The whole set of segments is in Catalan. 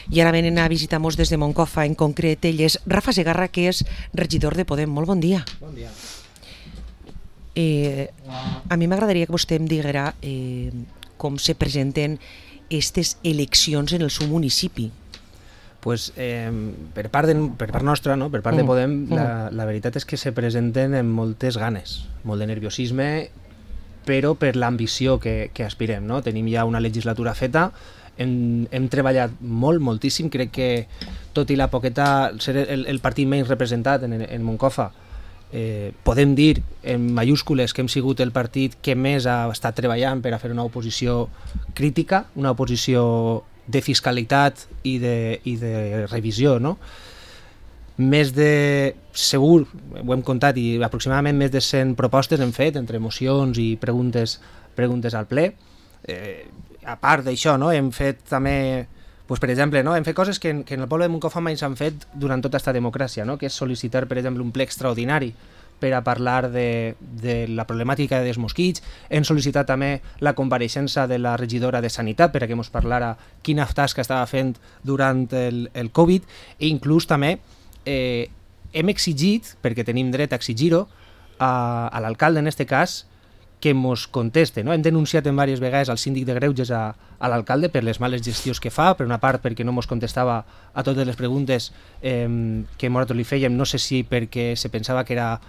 I ara venen a visitar-nos des de Moncofa, en concret ell és Rafa Segarra, que és regidor de Podem. Molt bon dia. Bon dia. A mi m'agradaria que vostè em diguera com se presenten aquestes eleccions en el seu municipi. Pues, per part nostra, no? Per part de Podem, la veritat és que se presenten amb moltes ganes, molt de nerviosisme, però per l'ambició que aspirem. No? Tenim ja una legislatura feta, hem treballat moltíssim, crec que tot i la poqueta, ser el partit menys representat en Moncofa, podem dir en mayúscules que hem sigut el partit que més ha estat treballant per a fer una oposició crítica, una oposició de fiscalitat i de revisió, no? Més de, segur, ho hem comptat, i aproximadament més de 100 propostes hem fet entre mocions i preguntes al ple. A part d'això, no? Hem fet també, pues, per exemple, no? Hem fet coses que en el poble de Moncofa mai s'han fet durant tota aquesta democràcia, no? Que és sol·licitar, per exemple, un ple extraordinari per a parlar de la problemàtica dels mosquits. Hem sol·licitat també la compareixença de la regidora de Sanitat per a que ens parlara quina tasca estava fent durant el Covid, i inclús també hem exigit, perquè tenim dret a exigir-ho, a l'alcalde en aquest cas, que ens conteste. No? Hem denunciat en diverses vegades al síndic de Greuges a l'alcalde per les males gestions que fa, per una part perquè no ens contestava a totes les preguntes que nosaltres li fèiem, no sé si perquè se pensava que era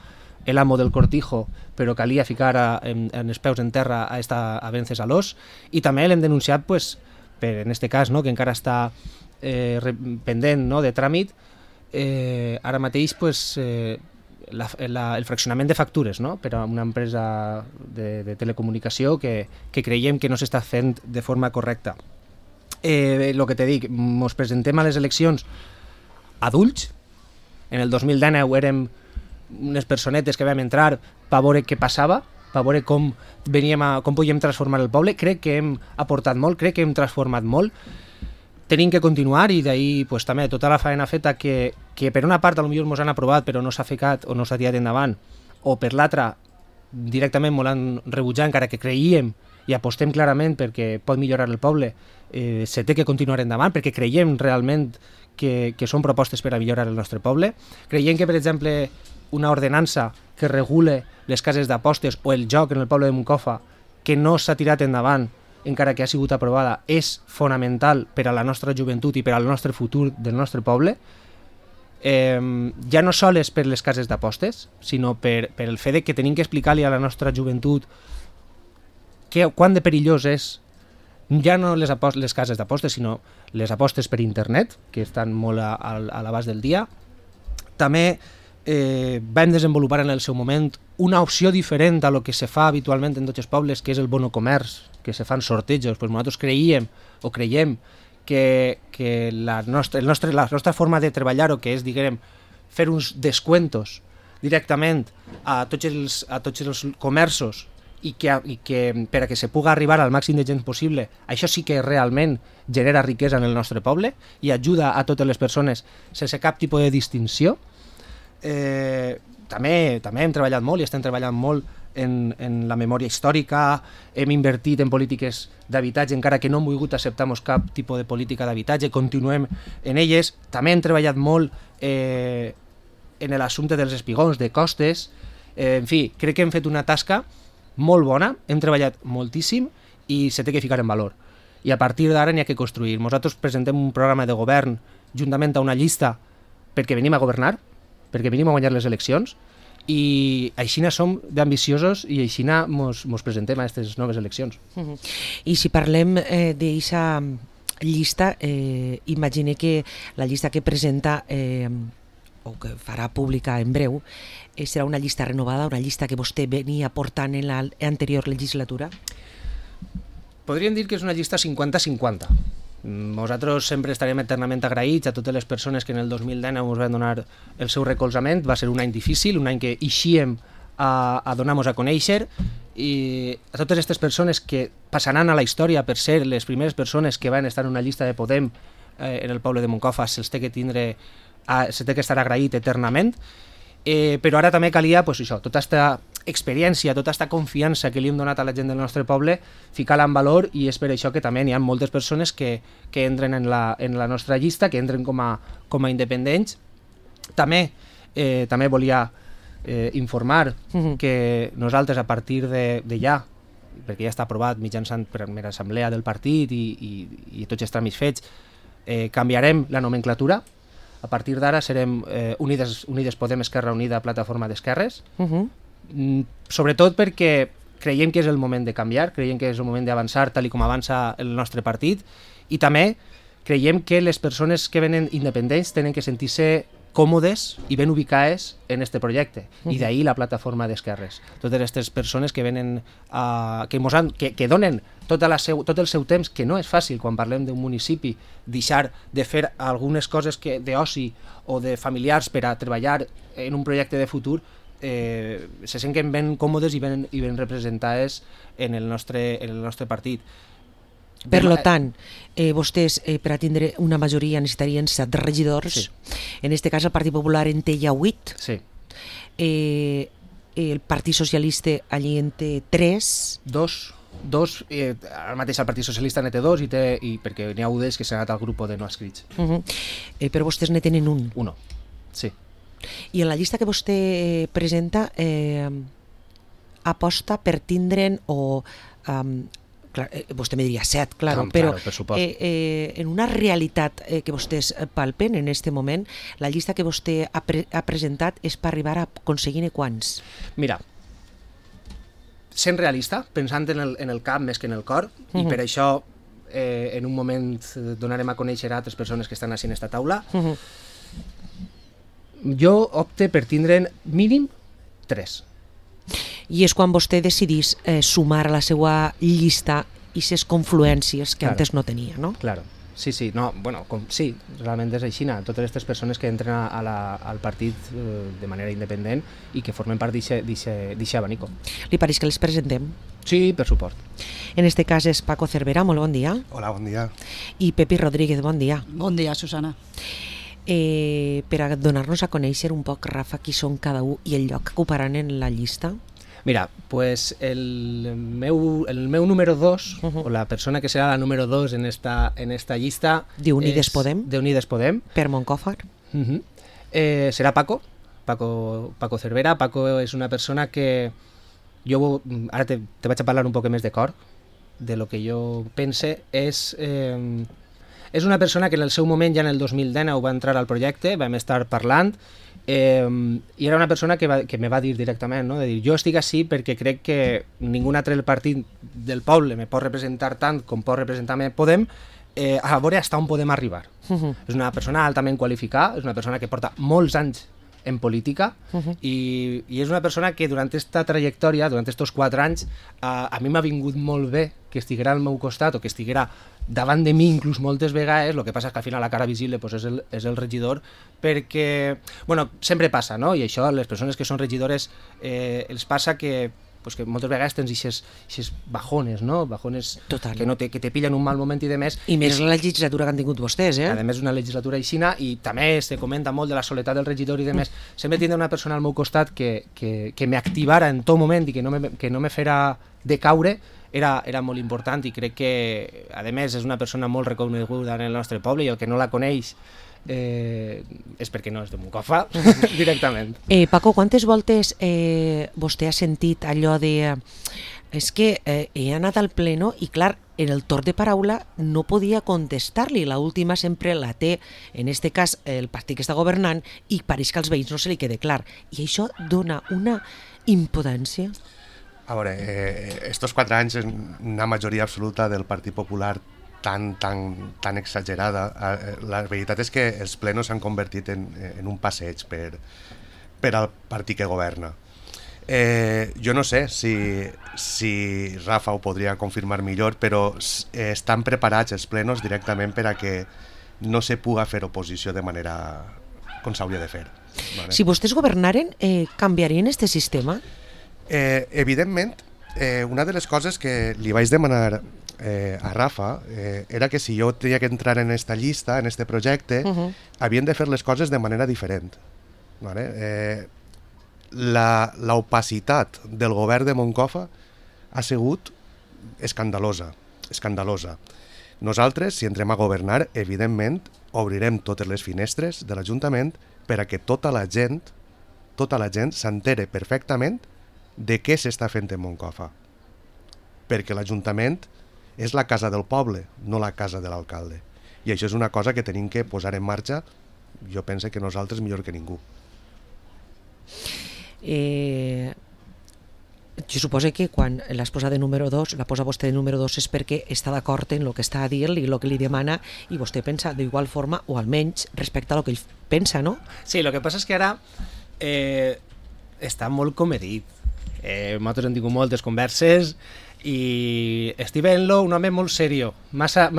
l'amo del cortijo, però calia ficar en els peus en terra a vences a l'os, i també l'hem denunciat, pues, per, en aquest cas, no? Que encara està pendent, no? De tràmit, ara mateix, pues, el fraccionament de factures, no? Per a una empresa de telecomunicació que creiem que no s'està fent de forma correcta. El que te dic, ens presentem a les eleccions adults. En el 2019 érem unes personetes que vam entrar per veure què passava, per veure com podíem transformar el poble. Crec que hem aportat molt, crec que hem transformat molt. Tenim que continuar, i d'ahir, pues, també tota la feina feta que per una part potser ens han aprovat però no s'ha ficat o no s'ha tirat endavant, o per l'altra directament ens l'han rebutjat, encara que creiem i apostem clarament perquè pot millorar el poble, se té que continuar endavant perquè creiem realment que són propostes per a millorar el nostre poble. Creiem que, per exemple, una ordenança que regule les cases d'apostes o el joc en el poble de Moncofa, que no s'ha tirat endavant encara que ha sigut aprovada, és fonamental per a la nostra joventut i per al nostre futur del nostre poble, ja no sols per les cases d'apostes, sinó per el fet que tenim que explicar-li a la nostra joventut quant de perillós és ja no les cases d'apostes, sinó les apostes per internet, que estan molt a l'abast del dia. També vam desenvolupar en el seu moment una opció diferent a lo que se fa habitualment en tots els pobles, que és el bono comerç, que se fan sortejos. Pues nosaltres creiem que la nostra forma de treballar-ho, que és, diguem, fer uns descuentos directament a tots els comerços, i que per a que se pugui arribar al màxim de gent possible, això sí que realment genera riquesa en el nostre poble i ajuda a totes les persones sense cap tipus de distinció. També hem treballat molt i estem treballant molt en la memòria històrica, hem invertit en polítiques d'habitatge, encara que no hem volgut acceptar-nos cap tipus de política d'habitatge, continuem en elles. També hem treballat molt en l'assumpte dels espigons, de costes, en fi, crec que hem fet una tasca molt bona, hem treballat moltíssim i se té que ficar en valor. I a partir d'ara n'hi ha que construir. Nosaltres presentem un programa de govern juntament a una llista perquè venim a governar, perquè venim a guanyar les eleccions, i així som d'ambiciosos i així ens presentem a aquestes noves eleccions. I si parlem d'aquesta llista, imagine que la llista que presenta o que farà pública en breu serà una llista renovada, una llista que vostè venia portant en l'anterior legislatura? Podríem dir que és una llista 50-50. Nosaltres sempre estarem eternament agraïts a totes les persones que en el 2019 ens van donar el seu recolzament. Va ser un any difícil, un any que eixíem a donar-nos a conèixer, i a totes aquestes persones que passaran a la història per ser les primeres persones que van estar en una llista de Podem en el poble de Moncofa, se'ls té que estar agraït eternament. Però ara també calia, pues, això, tota aquesta experiència, tota aquesta confiança que li hem donat a la gent del nostre poble, ficar-la en valor, i és per això que també hi ha moltes persones que entren en la nostra llista, que entren com a independents. També volia informar que nosaltres, a partir de ja, perquè ja està aprovat mitjançant primera assemblea del partit i tots els tràmits fets, canviarem la nomenclatura. A partir d'ara serem Unides Podem, Esquerra Unida, Plataforma d'Esquerres, sobretot perquè creiem que és el moment de canviar, creiem que és el moment d'avançar tal com avança el nostre partit, i també creiem que les persones que venen independents tenen que sentir-se còmodes i ben ubicades en este projecte, i d'ahir la Plataforma d'Esquerres. Totes aquestes persones que venen que donen tot el seu temps, que no és fàcil quan parlem d'un municipi, deixar de fer algunes coses d'oci o de familiars per a treballar en un projecte de futur, se senten ben còmodes i ben representades en el nostre partit. Per tant, vostès, per a tindre una majoria, necessitarien 7 regidors. Sí. En aquest cas, el Partit Popular en té ja 8. Sí. El Partit Socialista allí en té 3. Dos, ara mateix el Partit Socialista en té 2, i perquè n'hi ha un que s'ha anat al grup de no escrits. Però vostès ne tenen un. Uno, sí. I en la llista que vostè presenta, aposta per tindre'n vostè me diria 7, claro, però en una realitat que vostès palpen en aquest moment, la llista que vostè ha presentat és per arribar a aconseguir quants? Mira, sent realista, pensant en el cap més que en el cor, i per això en un moment donarem a conèixer a altres persones que estan així en aquesta taula, jo opte per tindre'n mínim 3. I és quan vostè decidís sumar a la seva llista aquestes confluències que antes no tenia, no? Claro, sí, no, bueno, sí, realment és així, totes aquestes persones que entren al partit de manera independent i que formen part d'aquest abanico. Li pareix que les presentem? Sí, per suport. En este cas és Paco Cervera, molt bon dia. Hola, bon dia. I Pepi Rodríguez, bon dia. Bon dia, Susana. Per a donar-nos a conèixer un poc, Rafa, qui són cada un i el lloc que ocuparan en la llista. Mira, pues el meu número 2, o la persona que serà la número 2 en esta llista... D'Unides Podem? D'Unides Podem. Per Moncòfar. Serà Paco Cervera. Paco és una persona que jo, ara te vaig a parlar un poc més de cor, de lo que jo pense, és una persona que en el seu moment, ja en el 2019, va entrar al projecte, vam estar parlant, i era una persona que me va dir directament, no? De dir, jo estic així perquè crec que ningú altre del partit del poble me pot representar tant com pot representar-me Podem, a veure fins on podem arribar. És una persona altament qualificada, és una persona que porta molts anys en política, i és una persona que durant aquesta trajectòria, durant aquests 4 anys, a mi m'ha vingut molt bé que estiguera al meu costat o que estiguera davant de mi inclús moltes vegades. El que passa és que al final la cara visible pues, és el regidor, perquè, bueno, sempre passa, no? I això, les persones que són regidores els passa que moltes vegades tens aquestes bajones, no? Bajones que te pillen un mal moment i de més. I més la legislatura que han tingut vostès, A més, una legislatura aixina, i també se comenta molt de la soledat del regidor i de més. Sempre tindre una persona al meu costat que m'activara en tot moment i que no me fera decaure era molt important, i crec que, a més, és una persona molt reconeguda en el nostre poble, i el que no la coneix és perquè no és de Moncofa directament. Paco, quantes voltes vostè ha sentit allò de és que he anat al pleno i clar, en el torn de paraula no podia contestar-li, l'última sempre la té, en este cas el partit que està governant, i pareix que als veïns no se li quede clar, i això dona una impotència. A veure, estos 4 anys una majoria absoluta del Partit Popular tan exagerada. La veritat és que els plenos s'han convertit en un passeig per al partit que governa. Jo no sé si Rafa ho podria confirmar millor, però estan preparats els plenos directament per a que no se puga fer oposició de manera com s'hauria de fer. Vale? Si vostès governaren, canviarien este sistema? Evidentment, una de les coses que li vaig demanar a Rafa era que si jo tenia que entrar en esta llista, en este projecte, havien de fer les coses de manera diferent. Vale? l'opacitat del govern de Moncofa ha sigut escandalosa. Nosaltres, si entrem a governar, evidentment, obrirem totes les finestres de l'Ajuntament per a que tota la gent s'entere perfectament de què s'està fent en Moncofa. Perquè l'Ajuntament és la casa del poble, no la casa de l'alcalde. I això és una cosa que tenim que posar en marxa, jo penso que nosaltres millor que ningú. Jo suposo que quan l'has posat de número 2, la posa vostè de número 2 és perquè està d'acord en el que està a dir i el que li demana, i vostè pensa d'igual forma, o almenys respecte a el que ell pensa, no? Sí, el que passa és que ara està molt comedit. Nosaltres hem tingut moltes converses i estic veient-lo un home molt serio, massa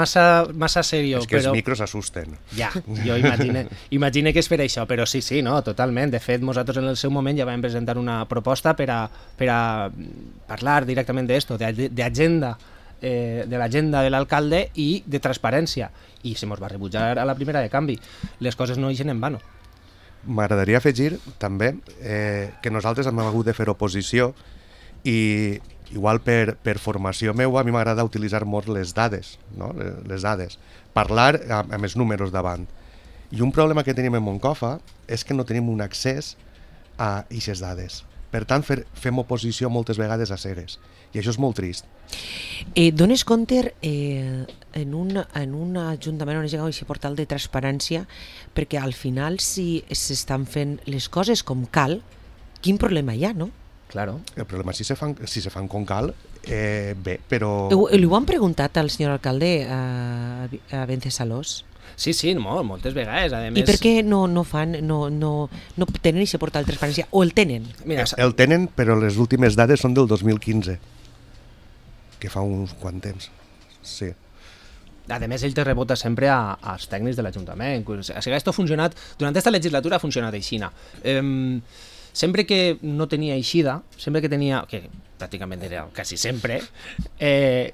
serio. És que els micros assusten. Ja, jo imagine que és per això, però sí, no, totalment. De fet, nosaltres en el seu moment ja vam presentar una proposta per a parlar directament d'esto, d'agenda, de l'agenda de l'alcalde i de transparència, i se mos va rebutjar a la primera de canvi. Les coses no ixen en vano. M'agradaria afegir també que nosaltres hem hagut de fer oposició i igual per formació meua a mi m'agrada utilitzar molt les dades, no? Les dades, parlar amb els números davant. I un problema que tenim en Moncofa és que no tenim un accés a aquestes dades. Per tant, fem oposició moltes vegades a cegues, i això és molt trist. Dones compte en un ajuntament on es llega a aquest portal de transparència, perquè al final si s'estan fent les coses com cal, quin problema hi ha, no? Claro. El problema és si se fan com cal, bé, però... Li ho han preguntat al senyor alcalde a Vencesalós? Sí, moltes vegades. A més... I per què no tenen aquest portal de transparència? O el tenen? Mira, el tenen, però les últimes dades són del 2015, que fa uns quant temps. Sí. A més, ell te rebota sempre als tècnics de l'Ajuntament. O sigui, esto ha funcionat, durant aquesta legislatura ha funcionat aixina. Sempre que no tenia eixida, sempre que tenia, que pràcticament era quasi sempre,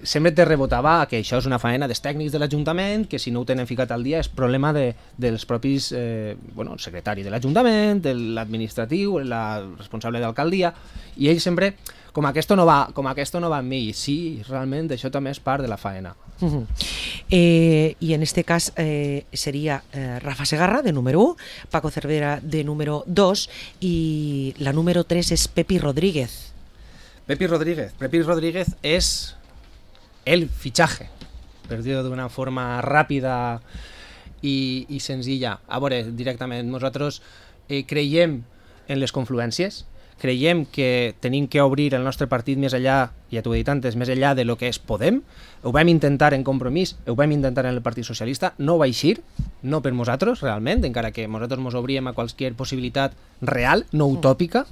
sempre te rebotava que això és una faena dels tècnics de l'Ajuntament, que si no ho tenen ficat al dia és problema dels propis el secretari de l'Ajuntament, de l'administratiu, la responsable d'alcaldia, i ell sempre, com aquesta no va amb mi, sí, realment això també és part de la faena. I en este cas seria Rafa Segarra, de número 1, Paco Cervera, de número 2, i la número 3 és Pepi Rodríguez. Pepi Rodríguez és el fitxatge, per dir-ho d'una forma ràpida i senzilla. A veure, directament, nosaltres creiem en les confluències, creiem que tenim que obrir el nostre partit més enllà, ja t'ho he dit antes, més enllà de lo que és Podem. Ho vam intentar en Compromís, ho vam intentar en el Partit Socialista, no va eixir, no per nosaltres realment, encara que nosaltres ens obríem a qualsevol possibilitat real, no utòpica,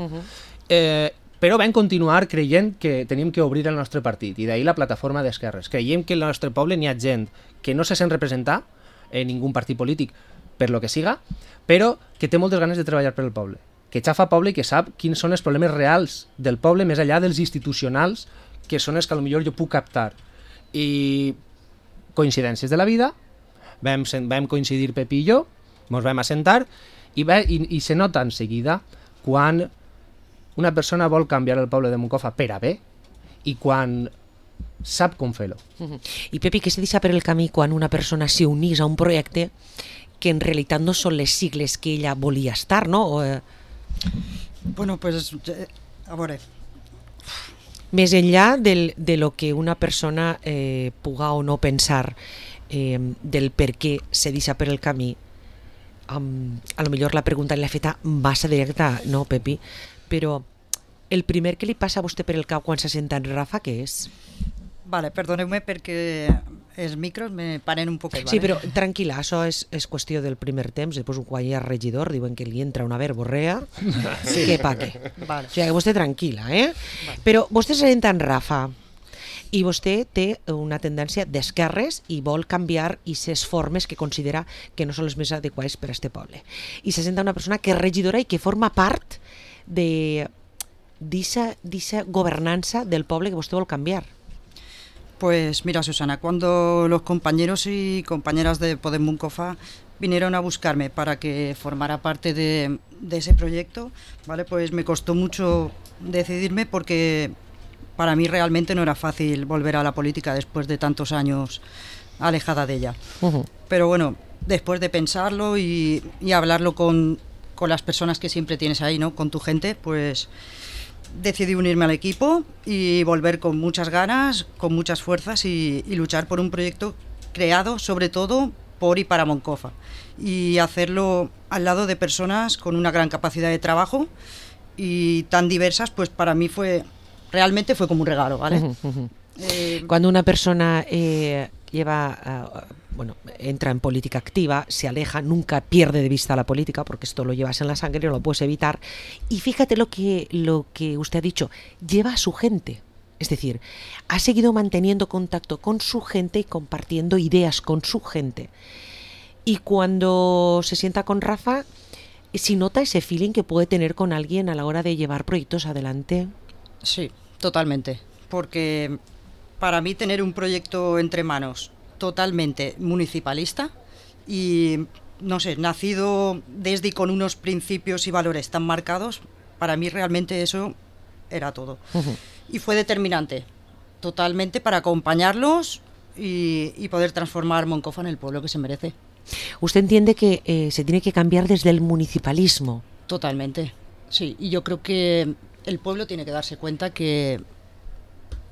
però vam continuar creient que tenim que obrir el nostre partit, i d'ahir la plataforma d'esquerres. Creiem que al nostre poble n'hi ha gent que no se sent representar en ningú partit polític per lo que siga, però que té moltes ganes de treballar per el poble, que xafa poble i que sap quins són els problemes reals del poble més enllà dels institucionals, que són els que potser jo puc captar. I coincidències de la vida, vam coincidir Pepi i jo, ens vam assentar i se nota en seguida quan una persona vol canviar el poble de Moncofa per a bé i quan sap com fer-ho. I Pepi, què se deixa per el camí quan una persona s'unís a un projecte que en realitat no són les sigles que ella volia estar, no? Bueno, pues, a veure... Més enllà de lo que una persona puga o no pensar del per què se deixa per el camí, a lo millor la pregunta l'ha feta massa directa, no, Pepi? Però el primer que li passa a vostè per el cap quan se senta en Rafa, què és? Vale, perdoneu-me perquè els micros me paren un poquet. Sí, però tranquil·la, això és qüestió del primer temps. Després quan hi ha regidor diuen que li entra una verborrea, sí. Que pague. Vale. O sigui, que vostè tranquil·la, Vale. Però vostè se senta en Rafa i vostè té una tendència d'esquerres i vol canviar aquestes formes que considera que no són les més adequades per a este poble. I se senta una persona que és regidora i que forma part d'eixa governança del poble que vostè vol canviar. Pues mira, Susana, cuando los compañeros y compañeras de Podem Moncofa vinieron a buscarme para que formara parte de ese proyecto, ¿vale? Pues me costó mucho decidirme porque para mí realmente no era fácil volver a la política después de tantos años alejada de ella. Pero bueno, después de pensarlo y hablarlo con las personas que siempre tienes ahí, ¿no? Con tu gente, pues decidí unirme al equipo y volver con muchas ganas, con muchas fuerzas y luchar por un proyecto creado sobre todo por y para Moncofa y hacerlo al lado de personas con una gran capacidad de trabajo y tan diversas, pues para mí realmente fue como un regalo, ¿vale? Cuando una persona entra en política activa, se aleja, nunca pierde de vista la política, porque esto lo llevas en la sangre, no lo puedes evitar. Y fíjate lo que usted ha dicho, lleva a su gente. Es decir, ha seguido manteniendo contacto con su gente y compartiendo ideas con su gente. Y cuando se sienta con Rafa, si nota ese feeling que puede tener con alguien a la hora de llevar proyectos adelante. Sí, totalmente. Porque para mí tener un proyecto entre manos totalmente municipalista y, no sé, nacido desde y con unos principios y valores tan marcados, para mí realmente eso era todo. Y fue determinante, totalmente, para acompañarlos y poder transformar Moncofa en el pueblo que se merece. ¿Usted entiende que se tiene que cambiar desde el municipalismo? Totalmente, sí. Y yo creo que el pueblo tiene que darse cuenta que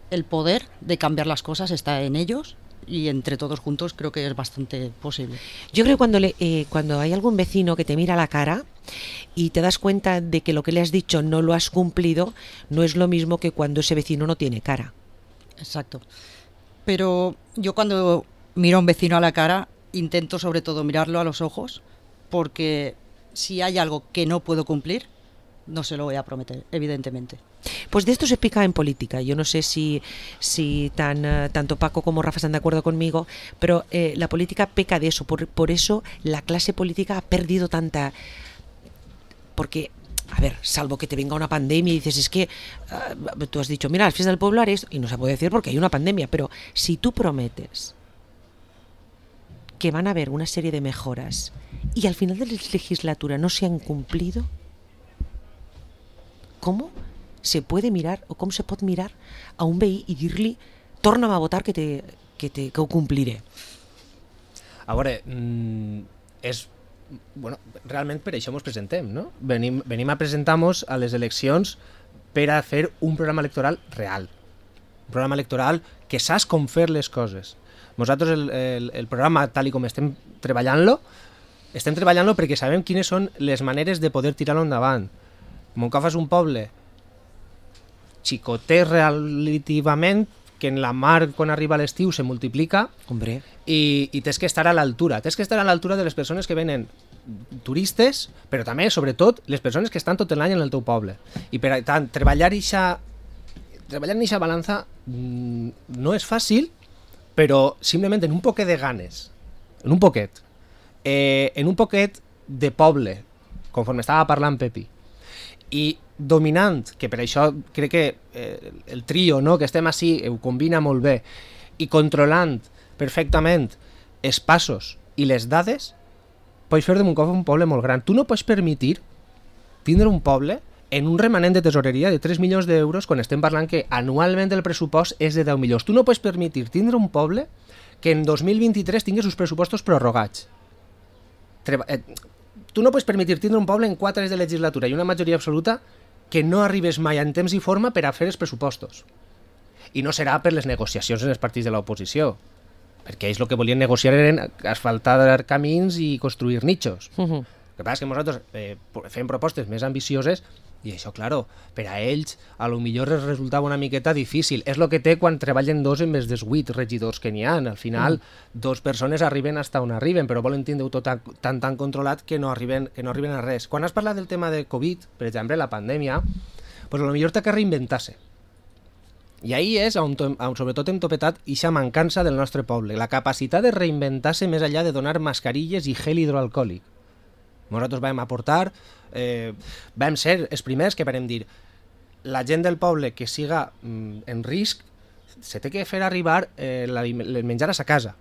el poder de cambiar las cosas está en ellos y entre todos juntos creo que es bastante posible. Yo creo que cuando hay algún vecino que te mira a la cara y te das cuenta de que lo que le has dicho no lo has cumplido, no es lo mismo que cuando ese vecino no tiene cara. Exacto. Pero yo cuando miro a un vecino a la cara intento sobre todo mirarlo a los ojos, porque si hay algo que no puedo cumplir, no se lo voy a prometer, evidentemente. Pues de esto se pica en política. Yo no sé si tanto Paco como Rafa están de acuerdo conmigo, pero la política peca de eso. Por eso la clase política ha perdido tanta... Porque, a ver, salvo que te venga una pandemia y dices, es que tú has dicho, mira, las fiestas del pueblo haré esto, y no se puede decir porque hay una pandemia, pero si tú prometes que van a haber una serie de mejoras y al final de la legislatura no se han cumplido, ¿cómo se puede mirar o com se pot mirar a un veí i dir-li torna'm a votar que ho compliré? A veure, realment per això ens presentem, no? Venim a presentar-nos a les eleccions per a fer un programa electoral real, un programa electoral que saps com fer les coses. Nosaltres el programa, tal com estem treballant-lo perquè sabem quines són les maneres de poder tirar-lo endavant. Moncofa és un poble xicotet relativament, que en la mar quan arriba l'estiu se multiplica. Hombre. I tens que estar a l'altura. Tens que estar a l'altura de les persones que venen turistes, però també, sobretot, les persones que estan tot l'any en el teu poble. I per tant, treballar en aquesta balança no és fàcil, però simplement en un poquet de ganes, en un poquet de poble, conforme estava parlant Pepi, i dominant, que per això crec que el trio, no, que estem així ho combina molt bé, i controlant perfectament els passos i les dades, pots fer de Moncofa un poble molt gran. Tu no pots permetre tindre un poble en un remanent de tesoreria de 3 milions d'euros quan estem parlant que anualment el pressupost és de 10 milions. Tu no pots permetre tindre un poble que en 2023 tingués els pressupostos prorrogats. Tu no pots permetre tindre un poble en 4 anys de legislatura i una majoria absoluta que no arribes mai en temps i forma per a fer els pressupostos. I no serà per les negociacions en els partits de l'oposició, perquè ells el que volien negociar eren asfaltar camins i construir nichos. El que passa és que nosaltres fem propostes més ambicioses i això, claro, per a ells a lo millor resultava una miqueta difícil. És el que té quan treballen dos en vez dels 8 regidors que n'hi ha. Al final, 2 persones arriben fins on arriben, però volen tindre-ho tot tan controlat que no arriben a res. Quan has parlat del tema de Covid, per exemple, la pandèmia, pues a lo millor t'ha que reinventar-se. I ahí és on sobretot hem topetat ixa mancança del nostre poble, la capacitat de reinventar-se més enllà de donar mascarilles i gel hidroalcohòlic. Nosaltres vam aportar, vam ser els primers que vam dir la gent del poble que siga en risc se té que fer arribar el menjar a sa casa.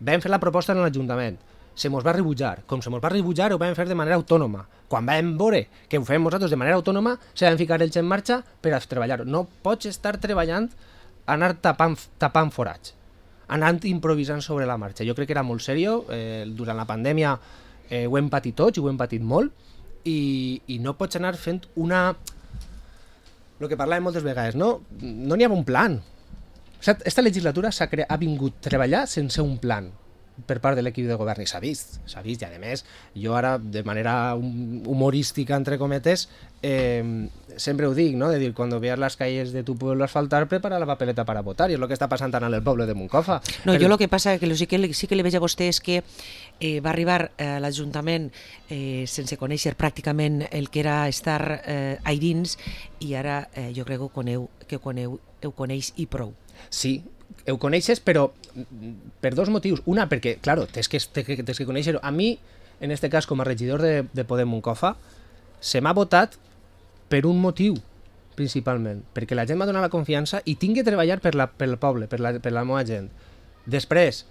Vam fer la proposta en l'Ajuntament. se mos va rebutjar. Com se mos va rebutjar, ho vam fer de manera autònoma. Quan vam veure que ho fem nosaltres de manera autònoma, se van ficar ells en marxa per a treballar. No pots estar treballant, anar tapant forats, anant improvisant sobre la marxa. Jo crec que era molt seriós. Durant la pandèmia ho hem patit tots i ho hem patit molt, i no pots anar fent una... El que parlàvem moltes vegades, no n'hi ha un plan. Esta legislatura ha vingut a treballar sense un plan per part de l'equip de govern, i s'ha vist, i a més, jo ara, de manera humorística, entre cometes, sempre ho dic, ¿no? De dir, cuando veas las calles de tu pueblo asfaltar, prepara la papeleta para votar, i és el que està passant tant en el poble de Moncofa. No, jo el que passa que sí que li veig a vostè és que va arribar a l'Ajuntament sense conèixer pràcticament el que era estar a dins, i ara jo crec que ho coneix i prou. Sí, ho coneixes, però per dos motius. Una, perquè, claro, tens que conèixer-ho. A mi, en este cas, com a regidor de Podem Moncofa, se m'ha votat per un motiu, principalment, perquè la gent m'ha donat la confiança i tinc que treballar pel poble, per la meva gent. Després,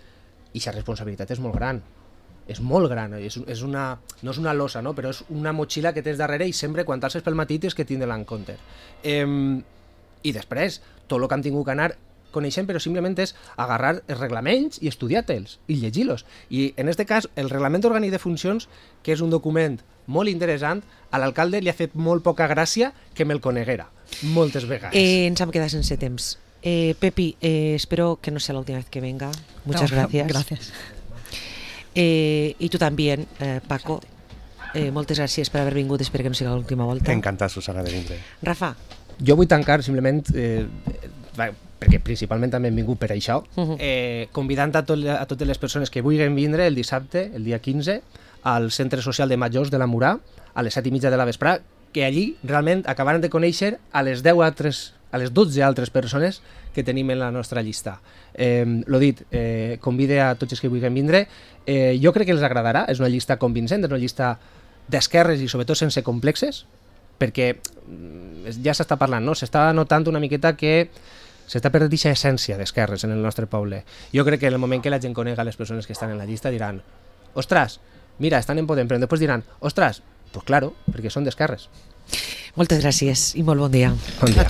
i la responsabilitat és molt gran, no és una losa, no? Però és una motxilla que tens darrere, i sempre quan t'alces pel matí tens que tindre-la en compte. I després, tot el que hem tingut que anar coneixent, però simplement és agarrar els reglaments i estudiar-te'ls i llegir-los. I en aquest cas, el Reglament Orgànic de Funcions, que és un document molt interessant, a l'alcalde li ha fet molt poca gràcia que me'l coneguera, moltes vegades. Ens hem quedat sense temps. Pepi, espero que no sea la última vez que venga. Muchas gracias. Gracias. Y tú también, Paco. Moltes gràcies per haver vingut, espero que no sigui l'última volta. Encantat, Susana, de vindre. Rafa. Jo vull tancar simplement, perquè principalment també hem vingut per això, convidant a totes les persones que vulguin vindre el dissabte, el dia 15, al Centre Social de Majors de la Murà, a les 7:30 de la vesprà, que allí realment acabaran de conèixer a les 12 altres persones que tenim en la nostra llista. L'ho dit, convide a tots els que vulguin vindre. Jo crec que els agradarà, és una llista convincent, és una llista d'esquerres i sobretot sense complexes, perquè ja s'està parlant, no? S'està notant una miqueta que s'està perdent aquesta essència d'esquerres en el nostre poble. Jo crec que en el moment que la gent conega les persones que estan en la llista diran, ostres, mira, estan en Podem, però després diran, ostres, pues claro, perquè són d'esquerres. Moltes gràcies i molt bon dia. Bon dia.